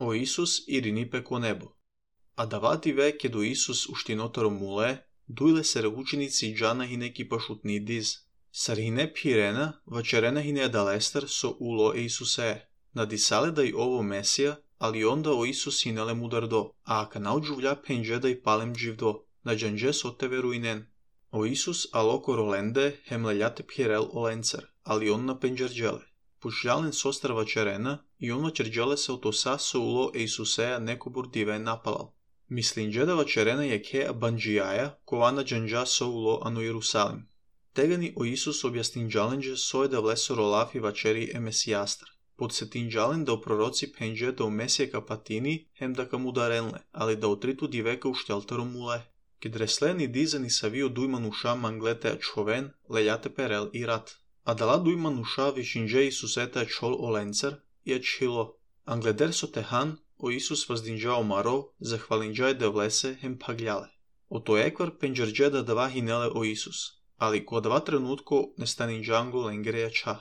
O Isus irinipe ко небо. А давати ве ке до Исус уштиноторо муле, дуйле сере ученици джана хине ки пашутни диз. Сар хине пирена, вачерена хине далестер со уло Исусе. Надисале да и ово Месија, али онда о Исус хинеле мудардо, а ака научувля пенже да и палем дживдо, на джанже сотеве руинен. O Isus алоко роленде хемлељате пирел оленцер, али он на пенджерджеле. Пушјален состар вачерена, и он вачерджеле се отоса со уло Исусеја некобур диве напалал. Мислинџе да вачерена је ке банџијаја, кована джанџа со уло ано Иерусалим. Тегани о Исус објаснинџаленџе соје да влесо ролафи вачери е Месијастар. Подсетинџален да о пророци пенџе да о Месија ка патини, хем да ка мударенле, али да отриту дивека уштелтеро муле. Ке дреслени дизани савио дујман уша манглете човен, лељате перел и рат. А дала дујман уша вишинџе Исусете чол оленцер и ачило. Англедер со техан, о Исус воздинџао маро, захвалинџај да влесе хем паглјале. Ото еквар пенџерџе да дава хинеле о Исус, али ко дава тренутко не станинџанго ленгереја ча.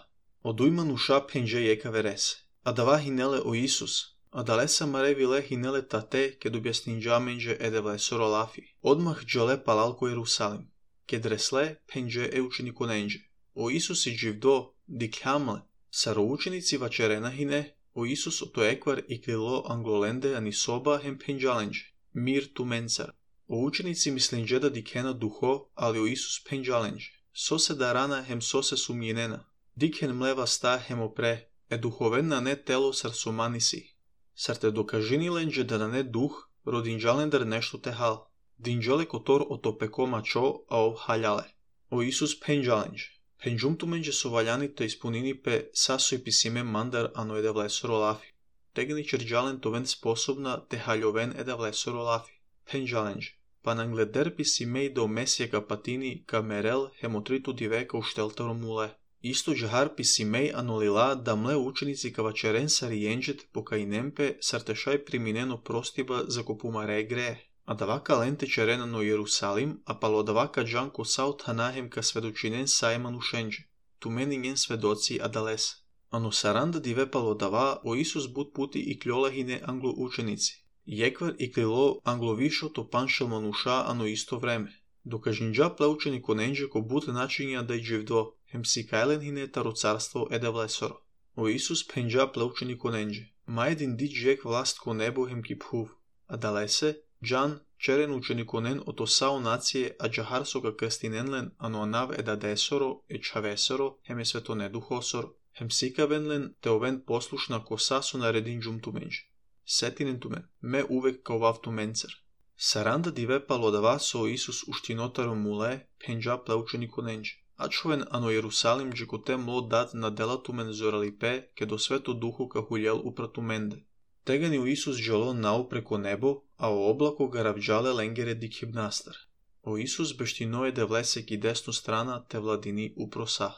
О дујман уша пенџе јека вересе. А дава хинеле о Исус, а далеса маревиле хинеле тате ке добјаснинџаменџе еде влесо ролафи. Одмах џале палал ко Иерусалим. Ке дресле пенџе е учениконенџе. O Isus i дживдо, дикјамле, саро ученици вачерена хине, o Isus ото еквар и клило англоленде ани соба хем пенџаленџе, мир ту менцар. O ученици мислинџе да дикена духо, али o Isus пенџаленџе. Сосе дарана хем сосе сумјенена. Дикен млева ста хем опре, е духовена не тело сар соманиси. Сар те докажиниленџе да не дух, родинџалендер нешто те хал. Динџале котор ото пеко мачо, а ов халјале. O Isus пенџаленџе. Пенџумтуменџе со ваљаните испунинипе сасо и писиме мандар ано еде влесо ролафи. Тегни черџален товен способна те хаљовен еде влесо ролафи. Пенџаленџе. Па нангледер писимеј до Месија ка патини ка мерел хемотриту дивека уштелтеро муле. Исто джахар писимеј анолила да мле ученици ка вачерен сариенџет покајнемпе сартешај приминено простиба за копумаре грее. А давака ленте черена но Иерусалим, а пало давака джанко саут ханахем ка сведочинен сајман ушенџе. Тумени нген сведоци адалес. Ано саранда диве пало дава о Исус бут пути и клјолахине англо ученици. Јеквар и клило англовишото паншелман уша ано исто време. Докажинџа плеучени коненџе ко бут начиња да и дживдо, хем сикајлен хине таро царство еде влесоро. О Исус пенџа плеучени коненџе. Ма един ди джек власт ко небо хем ки пхув. Адалесе, Джан, черен учениконен ото сао нације, а джахар со га крстиненлен, ано анав еда десоро, е чавесоро, хем е светоне духосоро, хем сикавенлен, те овен послушна коса со наредин джумтуменџе. Сетинен тумен, ме увек каовав туменцер. Саранда диве палодава со Исус уштинотаро муле, пенџа пле учениконенџе. А човен ано Иерусалим джекоте мло дат на дела тумен зоралипе, ке до свето духу ка хуљел упратуменде. Тегани у Исус джало нау преко небо, а о облако га равџале ленгере дикибнастар. О Исус бештиное де влесе ки десну страна те владини упроса.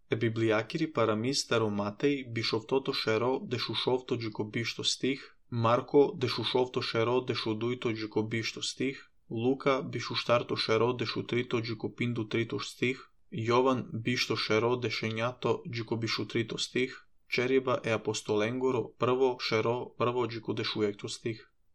Е библијакири парамис старо Матеј бишовтото шеро де шушовто джикобишто стих, Марко де шушовто шеро де шудујто джикобишто стих, Лука бишуштарто шеро де шутрито джикопинду трито стих, Јован бишто шеро де шењато джикобишутрито стих, Чериба е апостоленгоро прво шеро прво джико дешујекто стих.